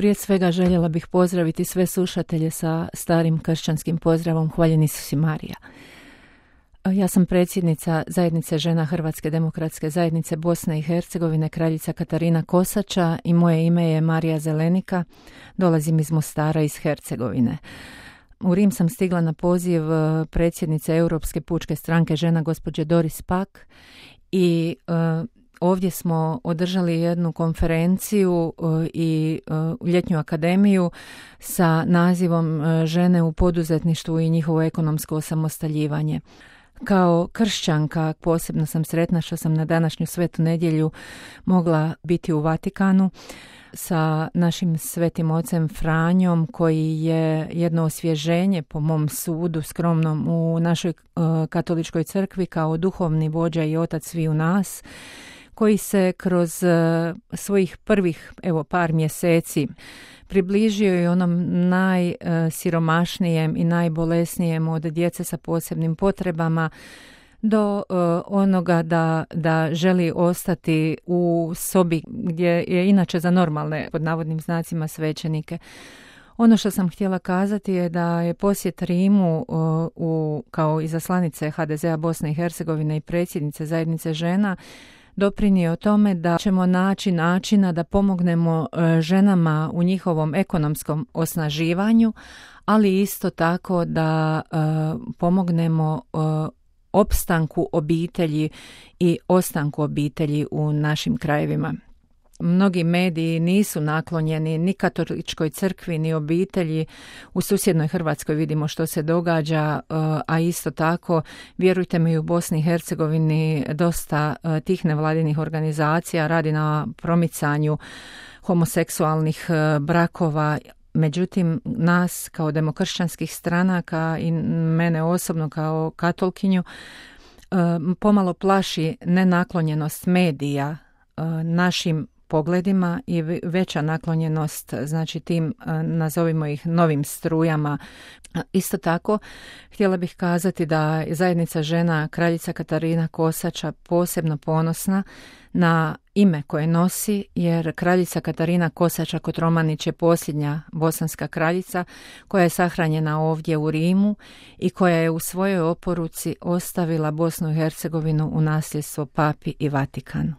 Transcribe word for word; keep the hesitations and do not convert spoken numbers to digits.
Prije svega željela bih pozdraviti sve slušatelje sa starim kršćanskim pozdravom Hvaljen Isus i Marija. Ja sam predsjednica Zajednice žena Hrvatske demokratske zajednice Bosne i Hercegovine, kraljica Katarina Kosača, i moje ime je Marija Zelenika. Dolazim iz Mostara, iz Hercegovine. U Rim sam stigla na poziv predsjednice Europske pučke stranke žena gospođe Doris Pack i uh, ovdje smo održali jednu konferenciju uh, i uh, ljetnju akademiju sa nazivom uh, Žene u poduzetništvu i njihovo ekonomsko osamostaljivanje. Kao kršćanka posebno sam sretna što sam na današnju svetu nedjelju mogla biti u Vatikanu sa našim svetim ocem Franjom, koji je jedno osvježenje po mom sudu skromnom u našoj uh, katoličkoj crkvi kao duhovni vođa i otac sviju nas, koji se kroz uh, svojih prvih evo par mjeseci približio i onom najsiromašnijem i najbolesnijem od djece sa posebnim potrebama do uh, onoga da, da želi ostati u sobi gdje je inače za normalne, pod navodnim znacima, svećenike. Ono što sam htjela kazati je da je posjet Rimu uh, u, kao izaslanice ha de zea Bosne i Hercegovine i predsjednice Zajednice žena doprinio tome da ćemo naći načina da pomognemo ženama u njihovom ekonomskom osnaživanju, ali isto tako da uh, pomognemo uh, opstanku obitelji i ostanku obitelji u našim krajevima. Mnogi mediji nisu naklonjeni ni katoličkoj crkvi, ni obitelji. U susjednoj Hrvatskoj vidimo što se događa, a isto tako, vjerujte mi, u Bosni i Hercegovini dosta tih nevladinih organizacija radi na promicanju homoseksualnih brakova. Međutim, nas kao demokršćanskih stranaka i mene osobno kao katolkinju pomalo plaši nenaklonjenost medija našim pogledima i veća naklonjenost, znači tim, nazovimo ih, novim strujama. Isto tako, htjela bih kazati da je Zajednica žena kraljica Katarina Kosača posebno ponosna na ime koje nosi, jer kraljica Katarina Kosača Kotromanić je posljednja bosanska kraljica koja je sahranjena ovdje u Rimu i koja je u svojoj oporuci ostavila Bosnu i Hercegovinu u nasljedstvo Papi i Vatikanu.